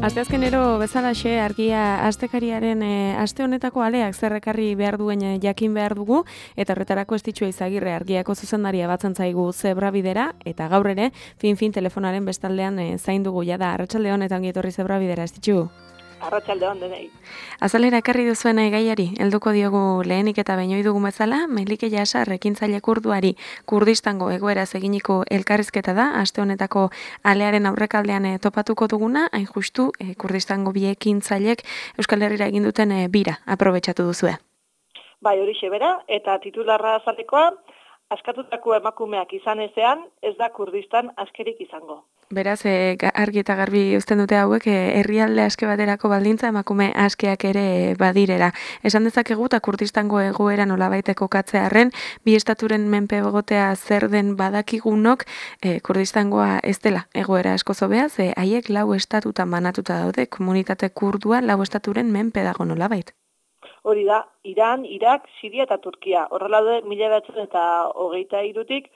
Asteazkenero bezalaxe argia astekariaren aste honetako aleak zerrekarri behar duen jakin behar dugu, eta horretarako Estitxu Eizagirre argiako zuzendaria batzen zaigu Zebrabidera, eta gaur ere, fin telefonaren bestaldean zain dugu jada. Arratsaldeon eta ongi etorri Zebrabidera, Estitxu. Arratsaldeon denei. Azalera ekarri duzuen gaiari, helduko diogu lehenik eta baino dugu bezala, Melike Jasar ekintzaile kurduari Kurdistango egoeraz eginiko elkarrizketa da, aste honetako alearen aurrekaldean topatuko duguna, hain justu Kurdistango bi ekintzailek Euskal Herrira egin duten bira aprobetxatu duzue. Bai, horixe bera, eta titularra azalekoa, askatutako emakumeak izan ezean, ez da Kurdistan askerik izango. Beraz, argi eta garbi uzten dute hauek, herrialde aske baterako baldintza emakume askeak ere badirera. Esan dezakegu eta Kurdistango egoera nolabait kokatzearren, bi estaturen menpe egotea zer den badakigunok, Kurdistangoa ez dela egoera asko zobea, ze haiek 4 estatutan banatuta daude, komunitate kurdua 4 estaturen menpe dago nolabait. Hori da, Iran, Irak, Siria eta Turkia. Horrela daude 1923tik,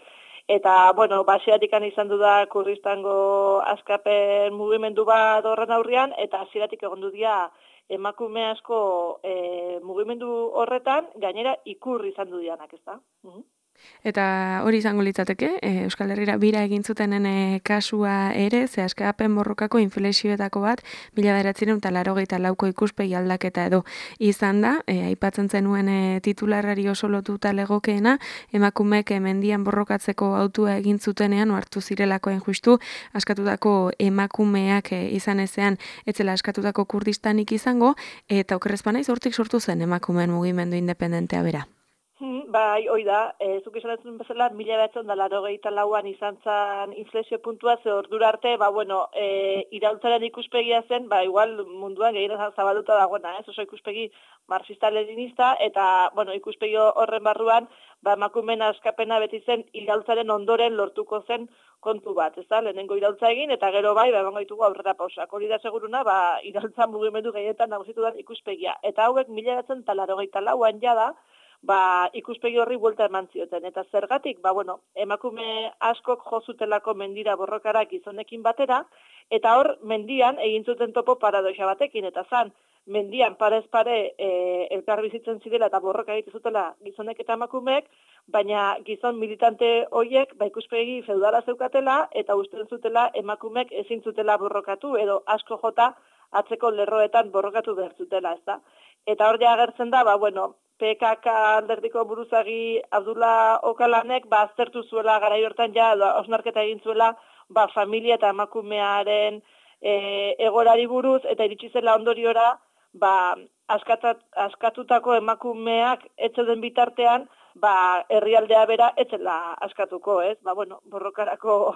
eta, bueno, baseatik izan du da Kurdistango askapen mugimendu bat horren aurrean, eta hasieratik egondu dira emakume asko mugimendu horretan, gainera ikur izan du dianak, ez da? Eta hori izango litzateke, Euskal Herrira bira egin zutenen kasua ere, ze askapen borrokako inflexioetako bat, 1984ko ikuspegi aldaketa edo izan da, aipatzen zenuen titularrari oso lotuta legokeena, emakumek mendian borrokatzeko autua egin zutenean, hartu zirelakoen justu, askatutako emakumeak izan ezean, etzela askatutako Kurdistanik izango, eta okerrezpanaiz hortik sortu zen emakumeen mugimendu independentea bera. Bai, hoi da, zuk esan duzun bezala, 1984an izan zen inflexio puntua, ze ordura arte, iraultzaren ikuspegia zen, igual munduan gehiago zabalduta dagoena, oso ikuspegi marxista-leninista, eta, ikuspegi horren barruan, emakumeen askapena beti zen iraultzaren ondoren lortuko zen kontu bat, ez da, lehenengo iraultza egin, eta gero emango ditugu aurrera pausak. Hori da seguruna, iraultza mugimendu gehietan nagusitu den ikuspegia. Eta hauek 1984an jada, ikuspegi horri buelta eman zioten. Eta zergatik, emakume askok jo zutelako mendira borrokara gizonekin batera, eta hor mendian egin zuten topo paradoxa batekin, eta zan, mendian parez pare elkar bizitzen zirela eta borroka egiten zutela gizonek eta emakumeek, baina gizon militante horiek ikuspegi feudala zeukatela, eta usten zutela emakumeek ezin zutela borrokatu, edo asko jota atzeko lerroetan borrokatu behar zutela, ez da? Eta hor ja agertzen da, PKK alderdiko buruzagi Abdullah Okalanek aztertu zuela garai hortan osnarketa egin zuela familia eta emakumearen egorari buruz, eta iritsi zela ondoriora askatutako emakumeak etzeuden bitartean herrialdea bera etzela askatuko, ez? Borrokarako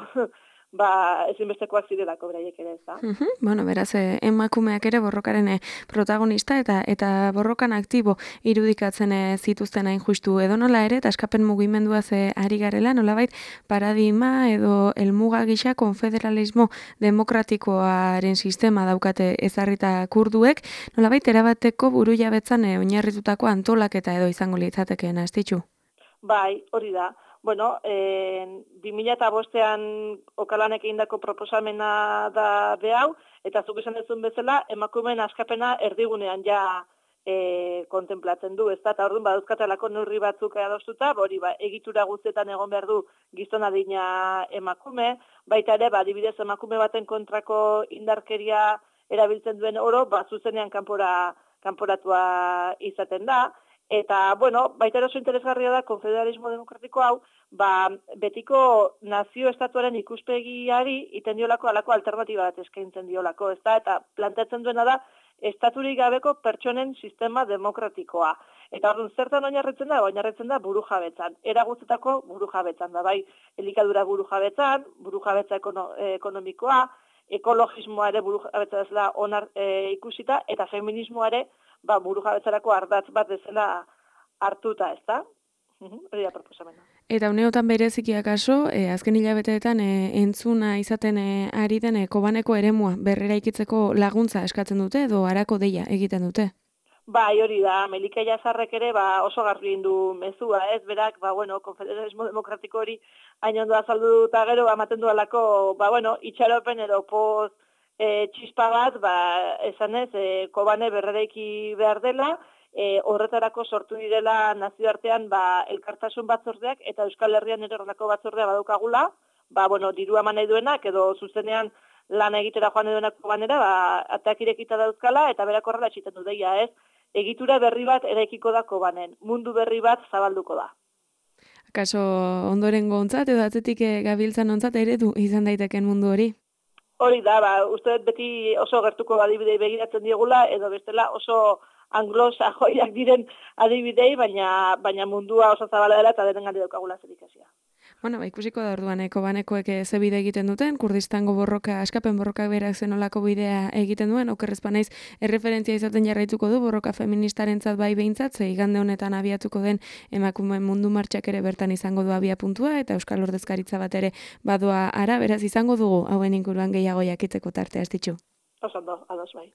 ezinbestekoak zirelako beraiek ere, ez da? Beraz, emakumeak ere borrokaren protagonista eta borrokan aktibo irudikatzen zituzten hain justu edonola ere, eta askapen mugimenduaz ari garela, nolabait paradigma edo helmuga gisa konfederalismo demokratikoaren sistema daukate ezarrita kurduek, nolabait erabateko burujabetzan oinarritutako antolaketa edo izango litzatekeena, Estitxu? Bai, hori da. 2005an Okalanek egindako proposamena da behau, eta zuk esan duzun bezala, emakumeen askapena erdigunean kontemplatzen du, ez da, eta orduan badauzkatelako neurri batzuk adostuta, egitura guztietan egon behar du gizon adina emakume, baita ere, adibidez emakume baten kontrako indarkeria erabiltzen duen oro, zuzenean kanporatua izaten da. Eta, baita oso interesgarria da konfederalismo demokratiko hau, betiko nazio-estatuaren ikuspegiari iten diolako alako alternatiba bat eskaintzen diolako, ez da? Eta planteatzen duena da, estaturik gabeko pertsonen sistema demokratikoa. Eta orduan zertan oinarritzen da burujabetzan. Era guztetako burujabetzan da, elikadura burujabetza ekonomikoa, ekologismoa ere burujabetza ezela ikusita, eta feminismoa ere burujabetzarako ardatz bat ezela hartuta, ez da? Hori da proposamena. Eta uneotan bereziki akaso, azken hilabeteetan entzuna izaten ari den Kobaneko eremua berreraikitzeko laguntza eskatzen dute edo harako deia egiten dute? Bai, hori da, Melike Jasarrek ere oso garbi egin du mezua, ez? Berak, konfederalismo demokratiko hori hain ondo azaldu eta gero, ematen du alako, itxaropen edo poz txispa bat, esanez, Kobane berreraiki behar dela, horretarako sortu direla nazioartean elkartasun batzordeak eta Euskal Herrian ere horrelako batzordea badukagula, dirua eman nahi duenak edo zuzenean lan egitera joan nahi duenak Kobanera, ateak irekita dauzkala eta berak horrela txiten du deia, ez? Egitura berri bat eraikiko da Kobanen, mundu berri bat zabalduko da. Kaso ondorengo ontzat edo atzetik gabiltzan ontzat eredu izan daiteken mundu hori? Hori da, uste beti oso gertuko adibidei begiratzen diegula, edo bestela oso anglo-sajoiak diren adibidei, baina mundua oso zabala dela eta denen gari daukagula zer ikasia. Bueno, ikusiko da orduan, Kobanekoek ze bide egiten duten, Kurdistango borroka, askapen borroka berak zenolako bidea egiten duen, okerrez banaiz erreferentzia izaten jarraituko du borroka feministarentzat bai behintzat, ze igande honetan abiatuko den emakumeen mundu martxak ere bertan izango du abia puntua, eta Euskal Ordezkaritza bat ere badoa ara, beraz izango dugu hauen inguruan gehiago jakiteko tartea astitxu. Osondo, ados bai.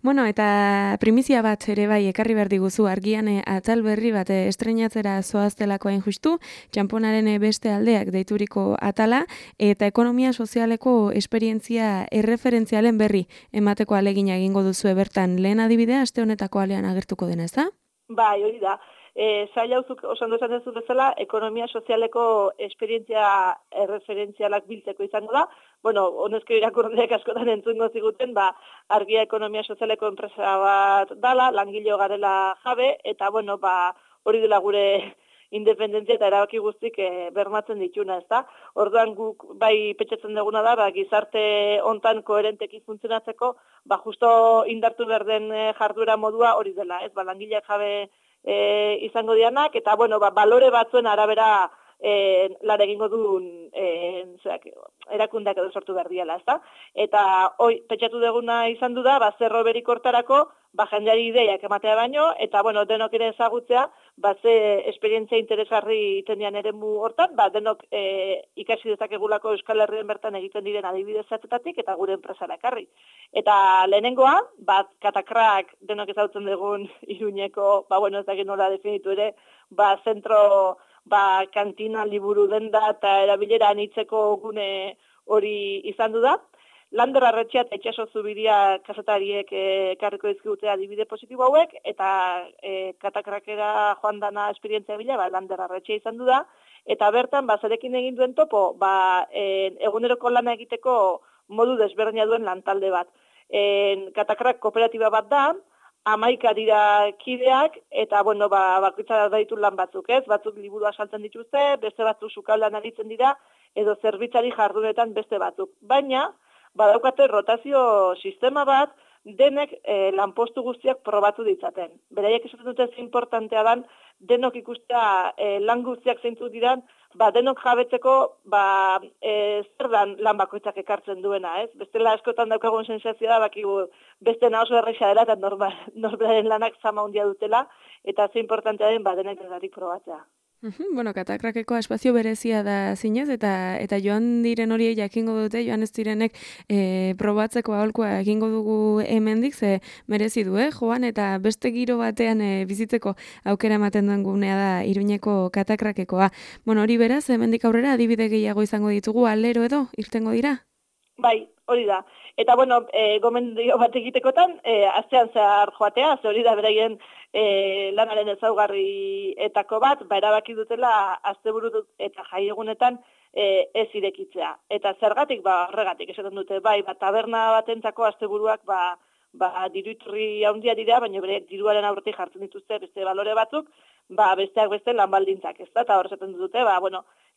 Bueno, eta primizia bat ere bai ekarri behar diguzu argian atal berri bat estreinatzera zoaztelako hain justu, txamponaren beste aldeak deituriko atala, eta ekonomia sozialeko esperientzia erreferentzialen berri emateko alegina egingo duzu bertan lehen adibidea aste honetako alean agertuko dena, ez da? Bai, hori da. Zaila uzuk oso esan duzu bezala, ekonomia sozialeko esperientzia erreferentzialak biltzeko izango da. Bueno, honezko irakurriak askotan entzungo ziguten, argia ekonomia sozialeko enpresa bat dala, langileo garela jabe, eta hori dela gure independentzia eta erabaki guztik bermatzen dituna, ezta? Orduan guk bai petxatzen duguna da, gizarte hontan koherenteki funtzionatzeko, justo indartu behar den jarduera modua hori dela, ez? Langileak jabe izango dianak, eta balore batzuen arabera lan egingo duen erakundeak edo sortu behar diala, ezta? Eta hoi, petxatu duguna izan du da, zerro berik hortarako, jendeari ideiak ematea baino, eta denok ere ezagutzea, ze esperientzia interesgarri itendian eremu hortan, denok ikasi dezakegulako Euskal Herrien bertan egiten diren adibidez zatzetatik, eta gure enpresara ekarri. Eta lehenengoa, katakrak denok ezagutzen dugun Iruñeko, ez dakit nola definitu ere, zentro, kantina, liburu denda eta erabilera anitzeko gune hori izan du da. Lander Arretxea eta Itxaso Zubiria kazetariek ekarriko dizkigute adibide positibo hauek, eta katakrakera joan dana esperientzia bila, Lander Arretxea izan du da, eta bertan, zerekin egin duen topo, eguneroko lana egiteko modu desberdina duen lantalde bat. Katakrak kooperatiba bat da, 11 dira kideak, eta, bakoitza da ditu lan batzuk, ez? Batzuk liburua saltzen dituzte, beste batzuk sukaldean aritzen dira, edo zerbitzari jardunetan beste batzuk. Baina, badaukate rotazio sistema bat, denek lanpostu guztiak probatu ditzaten. Beraiek esaten dute ze importantea dan, denok ikustea lan guztiak zeintzuk diran, denok jabetzeko zer dan lan bakoitzak ekartzen duena, ez? Bestela askotan daukagun sensazioa da, beste oso erresa dela, eta norberaren lanak zama handia dutela, eta ze importantea den, denek edarik probatzea. Bueno, katakrakeko espazio berezia da zinez, eta joan diren hori jakingo dute, joan ez direnek probatzeko aholkua egingo dugu hemendik, ze merezi du, joan, eta beste giro batean bizitzeko aukera ematen duen gunea da Iruñeko katakrakekoa. Bueno, hori beraz, hemendik aurrera adibide gehiago izango ditugu, alero edo, irtengo dira? Bai, hori da. Eta, gomendio bat egitekotan, astean zehar joatea, ze hori da beraien lanaren ezaugarrietako bat, erabaki dutela asteburu eta jaiegunetan ez irekitzea. Eta zergatik, horregatik esaten dute, taberna batentzako asteburuak diruiturri handia dira, baina bereak diruaren aurretik jartzen dituzte beste balore batzuk, besteak beste lan baldintzak, ez da, eta hor esaten dute,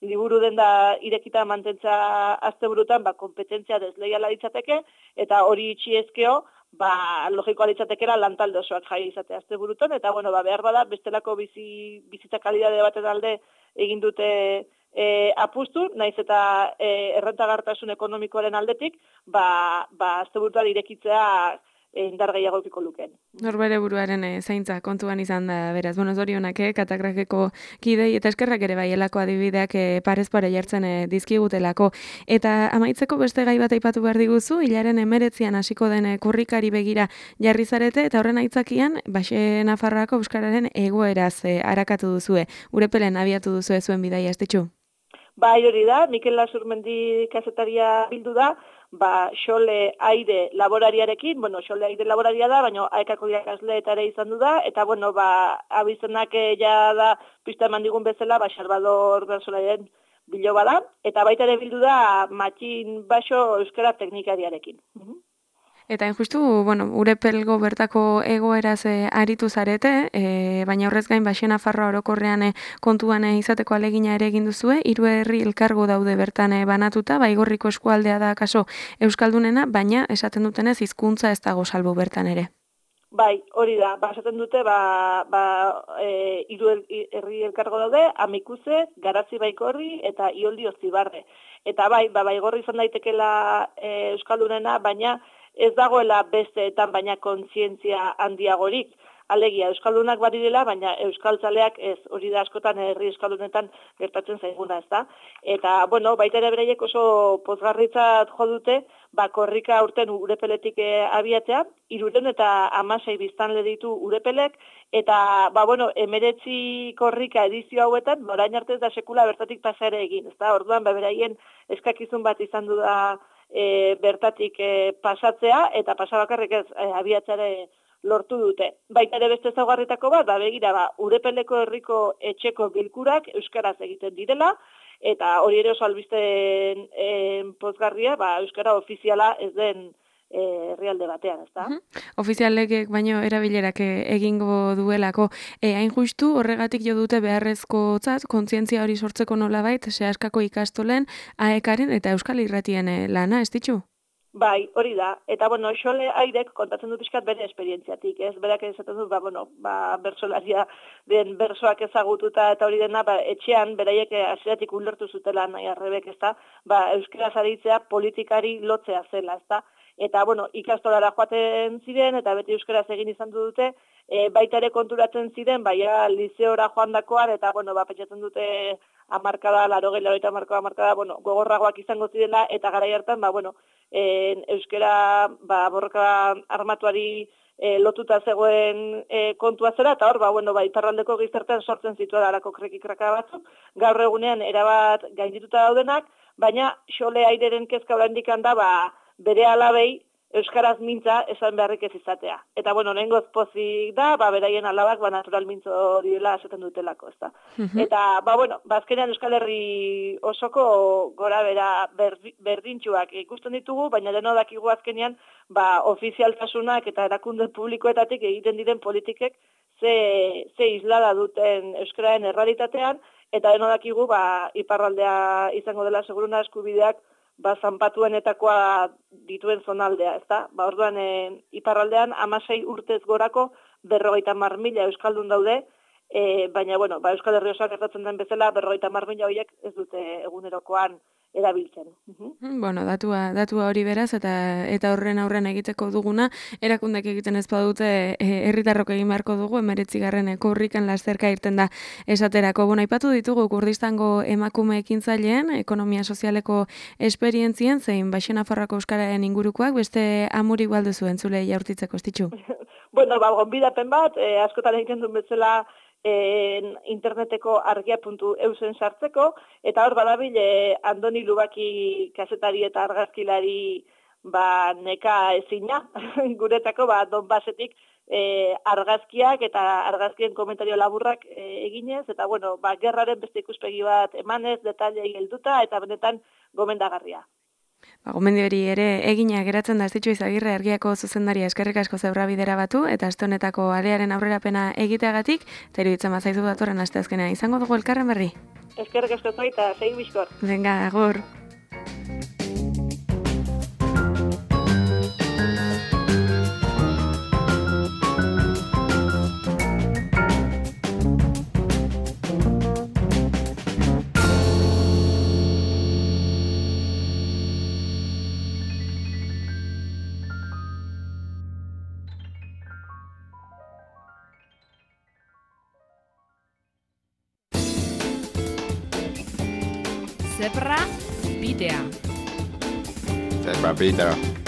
liburu denda irekita mantentza asteburutan, konpetentzia desleiala ditzateke, eta hori itxiezkeo, logikoa ditzatekera lantalde osoak jai izate asteburutan, eta behar bada, bestelako bizitza kalidade baten alde egin dute apustu, naiz eta errentagartasun ekonomikoaren aldetik, asteburutan irekitzea indar gehiago edukiko lukeen. Norbere buruaren zaintza kontuan izan da, beraz, zorionak, katakrakeko kidei, eta eskerrak ere elako adibideak parez pare jartzen dizkigutelako. Eta amaitzeko beste gai bat aipatu behar diguzu, hilaren 19an hasiko den kurrikari begira jarri zarete, eta horren aitzakian, Baxe Nafarroako euskararen egoeraz harakatu duzue. Urepelen abiatu duzue zuen bidaia, estetxu? Bai, hori da, Mikel Lasurmendi kazetaria bildu da, Xole Aire laborariarekin, Xole Aire laboraria da, baina aekako irakasle eta ere izan du da, eta, abizenak ja da, pista eman digun bezala, Salvador Bersolaren biloba da, eta baita ere bildu da Matxin Baxo euskara teknikariarekin. Eta justu, Urepelgo bertako egoeraz aritu zarete, baina horrez gain Baxenafarroa orokorrean kontuan izateko alegina ere egin duzue, 3 herri elkargo daude bertan banatuta, Baigorriko eskualdea da kaso euskaldunena, baina esaten dutenez hizkuntza ez dago salbu bertan ere. Bai, hori da, esaten dute, 3 herri elkargo daude, Amikuze, Garazi Baigorri eta Ioldi Ozibarre. Eta Baigorri izan daitekela euskaldunena, baina ez dagoela besteetan, baina kontzientzia handiagorik. Alegia, euskaldunak badirela, baina euskaltzaleak ez, hori da askotan herri euskaldunetan gertatzen zaiguna, ez da. Eta, baita ere bereiek oso pozgarritzat jo dute, korrika urten Urepeletik abiatzea, 316 biztanle ditu Urepelek, eta, 19 korrika edizio hauetan, orain arte ez da sekula bertatik pasa ere egin, ez da. Orduan, beraien eskakizun bat izan du da bertatik pasatzea, eta pasabakarrik ez abiatzare lortu dute. Baita ere beste ezaugarritako bat, begira, Urepeleko herriko etxeko bilkurak euskaraz egiten direla, eta hori ere oso albisten pozgarria, euskara ofiziala ez den herrialde batean, ezta? Ofizialek baino erabilerak egingo duelako. Hain justu horregatik jo dute beharrezkotzat kontzientzia hori sortzeko nolabait Seaskako ikastolen, AEKaren eta Euskal Irratien lana, ez ditzu? Bai, hori da. Eta, Xole Airek kontatzen du pixkat bere esperientziatik, ez? Berak esaten du, bersolaria den bersoak ezagututa eta hori dena, etxean, beraiek hasieratik ulertu zutela nahi arrebek, ez da? Euskaraz aditzea politikari lotzea zela, ez da? Eta, ikastolara joaten ziren, eta beti euskaraz egin izan dute, baita ere konturatzen ziren, lizeora joandakoan, eta, pentsatzen dute amarkada, 80 gogorragoak izango zirela, eta garai hartan, euskara borroka armatuari lotuta zegoen kontua zera, eta hor, iparraldeko gizartean sortzen zituela alako krekikraka batzuk, gaur egunean erabat gaindituta daudenak, baina Xole Aireren kezka oraindik da, bere alabei euskaraz mintza esan beharrik ez izatea. Eta, nengoz pozik da, beraien alabak natural mintzo direla esaten dutelako, ez da. Eta, azkenean Euskal Herri osoko gora bera berdintxuak ikusten ditugu, baina deno dakigu azkenean, ofizialtasunak eta erakunde publikoetatik egiten diren politikek ze islada duten euskararen errealitatean, eta deno dakigu, iparraldea izango dela seguruna eskubideak zanpatuenetakoa dituen zonaldea, ezta? Orduan, iparraldean 16 urtez gorako 50.000 euskaldun daude, baina, Euskal Herri osoak gertatzen den bezala, 50.000 horiek ez dute egunerokoan erabiltzen. Datua hori beraz, eta horren aurren egiteko duguna, erakundek egiten ez badute herritarrok egin beharko dugu, 19. korrikan lasterka irten da esaterako. Aipatu ditugu Kurdistango emakume ekintzaileen, ekonomia sozialeko esperientzien, zein Baxenafarroako euskararen ingurukoak, beste amuri baldu zuen zule jaurtitzeko, ez ditzu? Gonbidapen bat, askotan egiten duen bezala, interneteko argia.eusen sartzeko, eta hor badabil Andoni Lubaki kazetari eta argazkilari neka ezina, guretako Donbasetik argazkiak eta argazkien komentario laburrak eginez, eta gerraren beste ikuspegi bat emanez, detailei helduta, eta benetan gomendagarria. Gomendio hori ere egina geratzen da, ez ditzu Izagirre Argiako zuzendaria, eskerrik asko zeura bidera batu, eta aste honetako alearen aurrerapena egiteagatik, eta iruditzen bazaizu datorren asteazkenean izango dugu elkarren berri. Eskerrik asko zoi eta segi bizkor. Venga, agur. Zebra bidea. Zebra bidea.